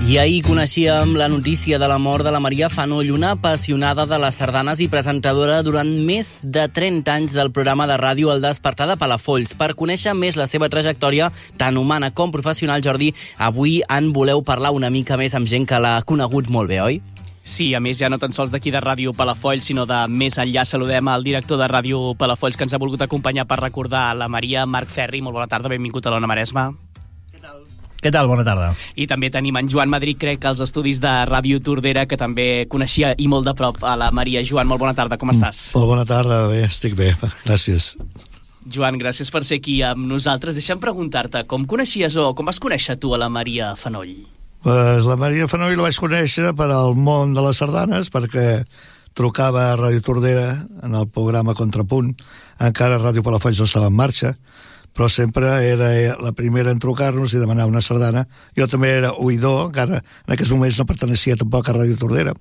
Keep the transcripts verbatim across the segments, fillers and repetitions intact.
I ahir coneixíem la notícia de la mort de la Maria Fanoll, una apassionada de les sardanes i presentadora durant més de trenta anys del programa de ràdio El Despertar de Palafolls. Per conèixer més la seva trajectòria, tant humana com professional, Jordi, avui en voleu parlar una mica més amb gent que l'ha conegut molt bé, oi? Sí, a més, ja no tan sols d'aquí de Ràdio Palafolls, sinó de més enllà. Saludem al director de Ràdio Palafolls que ens ha volgut acompanyar per recordar la Maria, Marc Ferri. Molt bona tarda, benvingut a l'Ona Maresma. Què tal? Bona tarda. I també tenim en Joan Madrid, crec, als estudis de Ràdio Tordera, que també coneixia i molt de prop a la Maria. Joan, molt bona tarda, com estàs? Molt bona tarda, bé, estic bé, gràcies. Joan, gràcies per ser aquí amb nosaltres. Deixa'm preguntar-te, com coneixies o com vas conèixer tu a la Maria Fanoll? Pues la Maria Fanoll la vaig conèixer per al món de les sardanes, perquè trucava a Ràdio Tordera en el programa Contrapunt. Encara Ràdio Palafolls no estava en marxa, però sempre era la primera en trucar-nos i demanar una sardana. Jo també era oïdor, encara en aquests moments no perteneixia tampoc a Ràdio Tordera,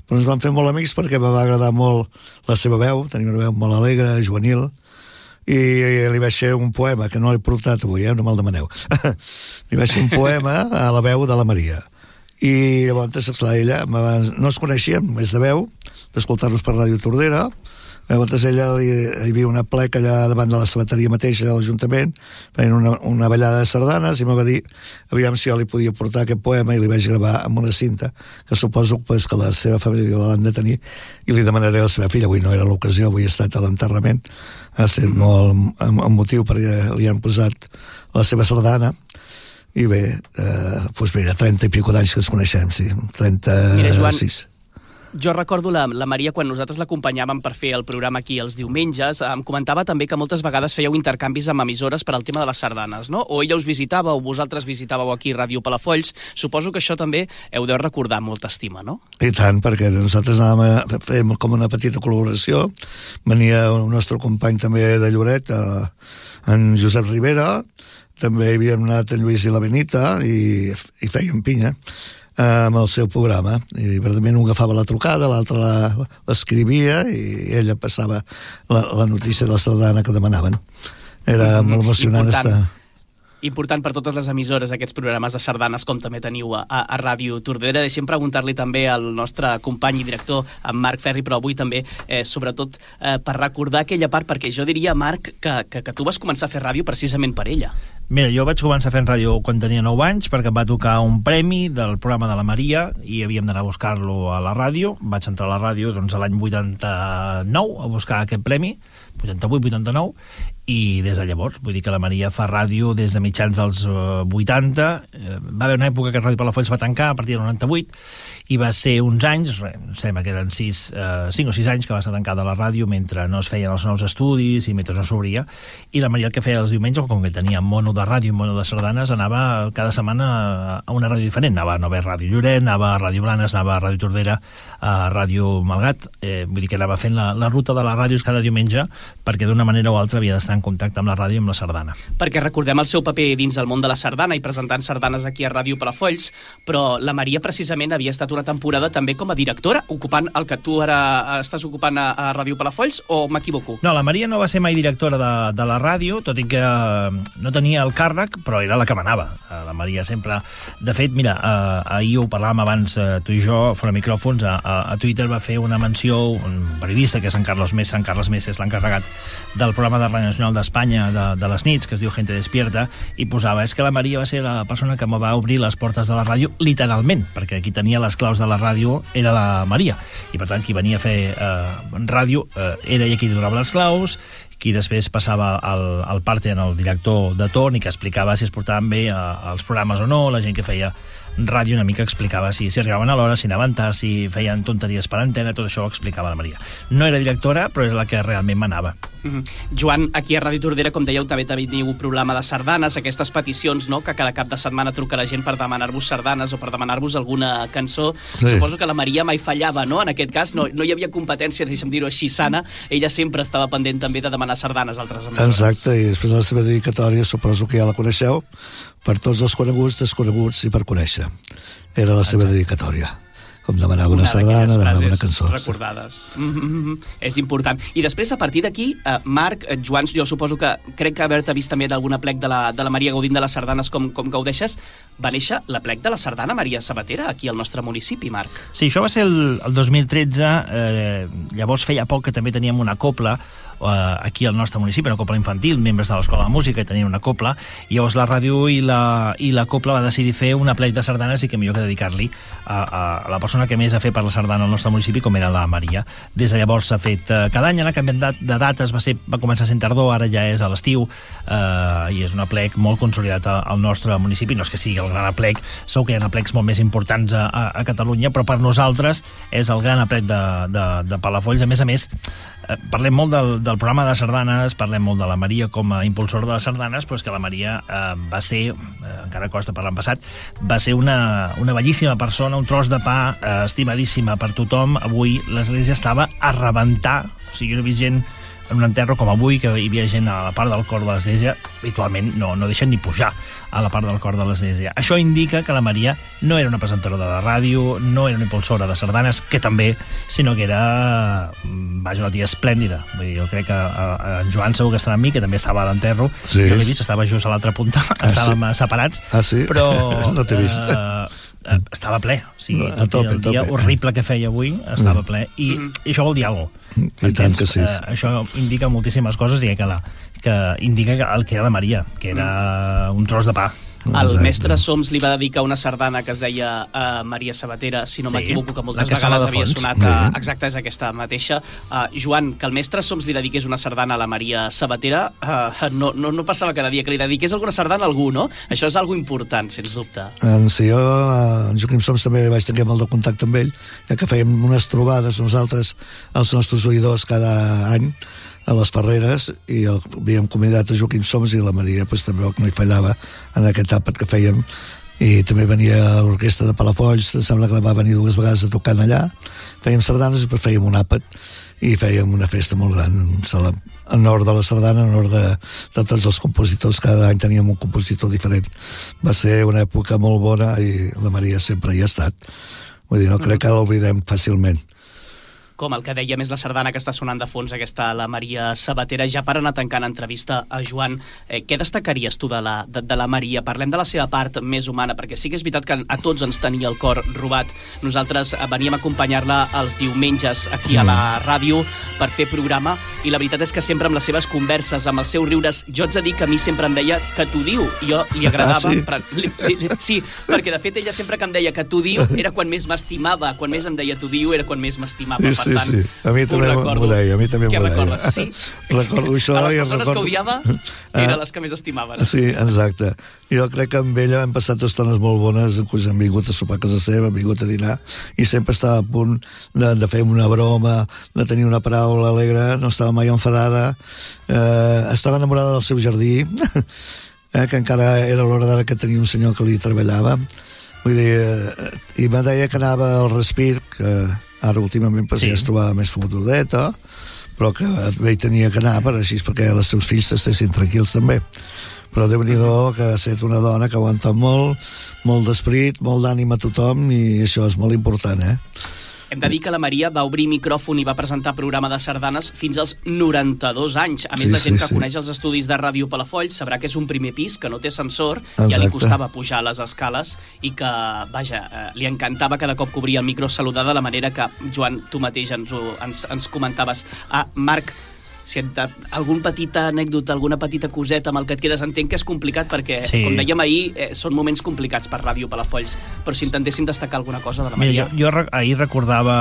però ens vam fer molt amics perquè me va agradar molt la seva veu, tenia una veu molt alegre, juvenil, i li vaig fer un poema, que no l'he portat avui, eh? No me'l demaneu. Li vaig fer un poema a la veu de la Maria. I llavors, esclar, ella, no ens coneixíem, més de veu, d'escoltar-nos per Ràdio Tordera. Llavors ella hi havia una pleca allà davant de la sabateria mateixa de l'Ajuntament, feien una, una ballada de sardanes, i em va dir aviam si jo li podia portar aquest poema, i li vaig gravar amb una cinta, que suposo pues, que la seva família l'han de tenir, i li demanaré a la seva filla. Avui no era l'ocasió, avui he estat a l'enterrament, ha estat molt emotiu perquè li han posat la seva sardana. I bé, eh, doncs mira, trenta i pico d'anys que ens coneixem, sí, trenta-sis. Jo recordo la, la Maria, quan nosaltres l'acompanyàvem per fer el programa aquí els diumenges, em comentava també que moltes vegades fèieu intercanvis amb emissores per al tema de les sardanes, no? O ella us visitava o vosaltres visitàveu aquí Ràdio Palafolls. Suposo que això també heu de recordar amb molta estima, no? I tant, perquè nosaltres anàvem a fer com una petita col·laboració. Venia el nostre company també de Lloret, en Josep Rivera, també hi havíem anat en Lluís i la Benita, i, i fèiem pinya amb el seu programa, i verdament un agafava la trucada, l'altre l'escrivia i ella passava la, la notícia de la sardana que demanaven. Era mm-hmm. molt emocionant Important. estar... Important per totes les emissores, aquests programes de sardanes, com també teniu a, a Ràdio Tordera. Deixem preguntar-li també al nostre company i director, en Marc Ferri, però avui també, eh, sobretot, eh, per recordar aquella part, perquè jo diria, Marc, que, que, que tu vas començar a fer ràdio precisament per ella. Mira, jo vaig començar fent ràdio quan tenia nou anys, perquè em va tocar un premi del programa de la Maria, i havíem d'anar a buscar-lo a la ràdio. Vaig entrar a la ràdio doncs, a l'any vuitanta-nou a buscar aquest premi, vuitanta-vuit vuitanta-nou, i des de llavors, vull dir que la Maria fa ràdio des de mitjans dels uh, vuitanta. Uh, va haver una època que Ràdio Palafolls va tancar a partir del noranta-vuit, i va ser uns anys, re, sembla que eren sis, uh, cinc o sis anys que va estar tancada la ràdio mentre no es feien els nous estudis i mentre no s'obria. I la Maria el que feia els diumenges, com que tenia mono de ràdio i mono de sardanes, anava cada setmana a una ràdio diferent. Anava a Nova Ràdio Lloret, anava a Ràdio Blanes, anava a Ràdio Tordera, a Ràdio Malgrat. Eh, vull dir que anava fent la, la ruta de les ràdios cada diumenge, perquè d'una manera o altra havia d'estar en contacte amb la ràdio i amb la sardana. Perquè recordem el seu paper dins del món de la sardana i presentant sardanes aquí a Ràdio Palafolls, però la Maria precisament havia estat una temporada també com a directora, ocupant el que tu ara estàs ocupant a, a Ràdio Palafolls, o m'equivoco? No, la Maria no va ser mai directora de, de la ràdio, tot i que no tenia el càrrec, però era la que manava. La Maria sempre... De fet, mira, eh, ahir ho parlàvem abans, eh, tu i jo, fora micròfons, a, a Twitter va fer una menció, un periodista, que és en Carlos Més, en Carles Més és l'encarregat del programa de Ràdio Nacional d'Espanya de, de les nits, que es diu Gente Despierta, i posava, és que la Maria va ser la persona que me va obrir les portes de la ràdio, literalment, perquè qui tenia les claus de la ràdio era la Maria, i per tant qui venia a fer eh, ràdio eh, era ella qui donava les claus, qui després passava al, al parte en el director de torn i que explicava si es portaven bé eh, els programes o no, la gent que feia ràdio una mica explicava si, si arribaven a l'hora, si anaven tard, si feien tonteries per antena, tot això ho explicava la Maria. No era directora, però és la que realment manava. Mm-hmm. Joan, aquí a Ràdio Tordera, com dèieu, també teniu un programa de sardanes, aquestes peticions, no?, que cada cap de setmana truca la gent per demanar-vos sardanes o per demanar-vos alguna cançó. Sí. Suposo que la Maria mai fallava, no?, en aquest cas. No, no hi havia competència, deixa'm dir-ho així, sana. Ella sempre estava pendent també de demanar sardanes a altres emissores. Exacte, i després la seva dedicatòria, suposo que ja la coneixeu, per tots els coneguts, desconeguts i per conèixer. Era la seva dedicatòria. com demanava una, una sardana, demanava una cançó. Recordades. Sí. Mm-hmm. És important. I després, a partir d'aquí, eh, Marc, eh, Joan, jo suposo que crec que haver-te vist també d'algun plec de la, de la Maria gaudint de les sardanes com, com gaudeixes, va néixer la plec de la sardana Maria Sabatera aquí al nostre municipi, Marc. Sí, això va ser el, el dos mil tretze, eh, llavors feia poc que també teníem una copla eh, aquí al nostre municipi, una copla infantil, membres de l'Escola de Música tenien una copla, i llavors la ràdio i la, i la copla va decidir fer una plec de sardanes i que millor que dedicar-li a, a la persona que més ha fet per la sardana al nostre municipi, com era la Maria. Des de llavors s'ha fet eh, cada any, ha canviat de dates, va, ser, va començar sent tardor, ara ja és a l'estiu, eh, i és una plec molt consolidat al nostre municipi. No és que sigui el gran aplec, segur que hi ha aplecs molt més importants a, a, a Catalunya, però per nosaltres és el gran aplec de, de, de Palafolls. A més a més, eh, parlem molt del, del programa de sardanes, parlem molt de la Maria com a impulsora de les sardanes, però és que la Maria eh, va ser, eh, encara costa parlar en passat, va ser una, una bellíssima persona, un tros de pa, eh, estimadíssima per tothom. Avui l'església estava a rebentar, o sigui, jo no he vist gent en un enterro com avui, que hi havia gent a la part del cor de l'església, habitualment no, no deixen ni pujar a la part del cor de l'església. Això indica que la Maria no era una presentadora de la ràdio, no era una impulsora de sardanes, que també, sinó que era, vaja, una tia esplèndida. Vull dir, jo crec que en Joan segur que estarà amb mi, que també estava a l'enterro, sí. Jo l'he vist, estava just a l'altra punta, ah, estàvem sí. separats, ah, sí? Però no t'he vist. Eh, estava ple, o sigui, a tope, el dia tope. horrible que feia avui estava ple, i, Mm. i això vol dir alguna cosa. I tant que sí. Eh, això indica moltíssimes coses, i que, la, que indica que el que era la Maria, que era un tros de pa. El Exacte. mestre Soms li va dedicar una sardana que es deia uh, Maria Sabatera, si no Sí, m'equivoco, que moltes la que vegades sona de havia fons. sonat. Sí. Uh, exacte, és aquesta mateixa. Uh, Joan, que el mestre Soms li dediqués una sardana a la Maria Sabatera, uh, no, no, no passava cada dia que li dediqués alguna sardana a algú, no? Això és algo important, sens dubte. En si jo, en Joaquim Soms, també vaig tenir molt de contacte amb ell, ja que fèiem unes trobades nosaltres, els nostres oïdors, cada any, a les Ferreres, i el, havíem convidat a Joaquim Soms, i la Maria pues, també no hi fallava en aquest àpat que fèiem, i també venia a l'orquestra de Palafolls, em sembla que va venir dues vegades a tocar allà, fèiem sardanes i després fèiem un àpat, i fèiem una festa molt gran en honor de la sardana, en honor de, de tots els compositors. Cada any teníem un compositor diferent. Va ser una època molt bona, i la Maria sempre hi ha estat. Vull dir, no crec que l'oblidem fàcilment. Com el que deia més la sardana que està sonant de fons, aquesta, la Maria Sabatera. Ja per anar tancant entrevista a Joan, eh, què destacaries tu de la, de, de la Maria? Parlem de la seva part més humana, perquè sí que és veritat que a tots ens tenia el cor robat. Nosaltres veníem a acompanyar-la els diumenges aquí a la ràdio per fer programa, i la veritat és que sempre amb les seves converses, amb els seus riures, jo ets a dir que a mi sempre em deia que t'ho diu, i jo li agradava. Ah, sí? Per, li, li, sí, perquè de fet ella sempre que em deia que t'ho diu era quan més m'estimava, quan més em deia t'ho diu era quan més m'estimava. Sí, sí, sí. A mi també m'ho deia, a mi també m'ho deia. Què recordes? Sí? Recordo això. A les i persones recordo... que odiava eren les que més estimaven. Sí, exacte. Jo crec que amb ella hem passat estones molt bones, doncs hem vingut a sopar a casa seva, hem vingut a dinar, i sempre estava a punt de, de fer una broma, de tenir una paraula alegre, no estava mai enfadada, eh, estava enamorada del seu jardí, eh, que encara era l'hora d'ara que tenia un senyor que li treballava. Vull dir, eh, i me deia que anava al Respir, que ara últimament pues, sí. ja es trobava més fotudeta, però que ell tenia que anar per així perquè els seus fills estessin tranquils també. Però Déu-n'hi-do que ha estat una dona que aguanta molt, molt d'esperit, molt d'ànima a tothom, i això és molt important, eh? Hem de dir que la Maria va obrir micròfon i va presentar programa de sardanes fins als noranta-dos anys. A més, sí, la gent sí, que sí. coneix els estudis de Ràdio Palafolls sabrà que és un primer pis, que no té ascensor, Exacte. Ja li costava pujar les escales, i que, vaja, eh, li encantava cada cop que obria el micro saludar de la manera que, Joan, tu mateix ens, ho, ens, ens comentaves. Ah, Marc, si et, algun petita anècdota, alguna petita coseta amb el que et quedes, entenc que és complicat perquè, sí. com dèiem ahir, eh, són moments complicats per Ràdio Palafolls, però si intentéssim destacar alguna cosa de la Maria... Mira, jo, jo ahir recordava,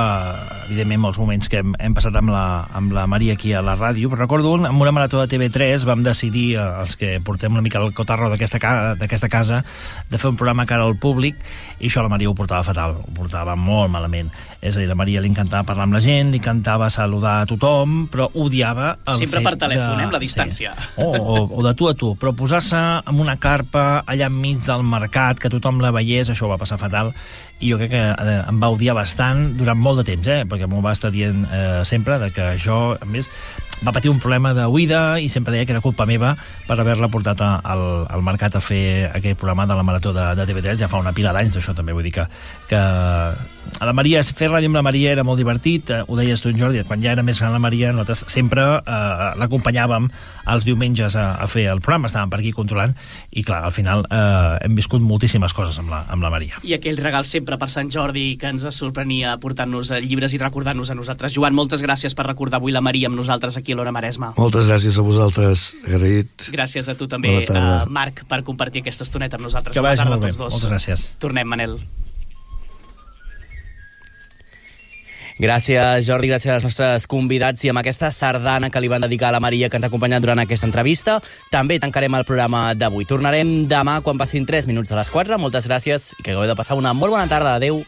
evidentment, molts moments que hem, hem passat amb la, amb la Maria aquí a la ràdio, però recordo un, amb una marató de T V tres vam decidir, eh, els que portem una mica el cotarro d'aquesta ca, casa, de fer un programa cara al públic, i això la Maria ho portava fatal, ho portava molt malament. És a dir, la Maria li encantava parlar amb la gent, li encantava saludar a tothom, però odiava el Sempre fet per telèfon, de... eh, amb la distància. Sí. O, o, o de tu a tu, però posar-se amb una carpa allà enmig del mercat, que tothom la veiés, això ho va passar fatal, i jo crec que eh, em va odiar bastant durant molt de temps, eh? Perquè m'ho va estar dient eh, sempre, de que jo, a més, va patir un problema d'oïda i sempre deia que era culpa meva per haver-la portat a, al, al mercat a fer aquell programa de la Marató de, de T V tres. Ja fa una pila d'anys d'això, també. Vull dir que, que a la Maria, fer ràdio amb la Maria era molt divertit, eh, ho deies tu, Jordi, quan ja era més gran la Maria, nosaltres sempre eh, l'acompanyàvem els diumenges a, a fer el programa, estàvem per aquí controlant, i clar, al final eh, hem viscut moltíssimes coses amb la, amb la Maria. I aquell regal sempre per Sant Jordi que ens sorprenia portant-nos llibres i recordant-nos a nosaltres. Joan, moltes gràcies per recordar avui la Maria amb nosaltres aquí a l'Hora Maresma. Moltes gràcies a vosaltres, agraït. Gràcies a tu també, uh, Marc, per compartir aquesta estoneta amb nosaltres. Que vagi molt bé, tots dos. Moltes gràcies. Tornem, Manel. Gràcies, Jordi, gràcies als nostres convidats i amb aquesta sardana que li van dedicar a la Maria que ens ha acompanyat durant aquesta entrevista. També tancarem el programa d'avui. Tornarem demà quan passin tres minuts de les quatre. Moltes gràcies i que acabeu de passar una molt bona tarda. Adéu.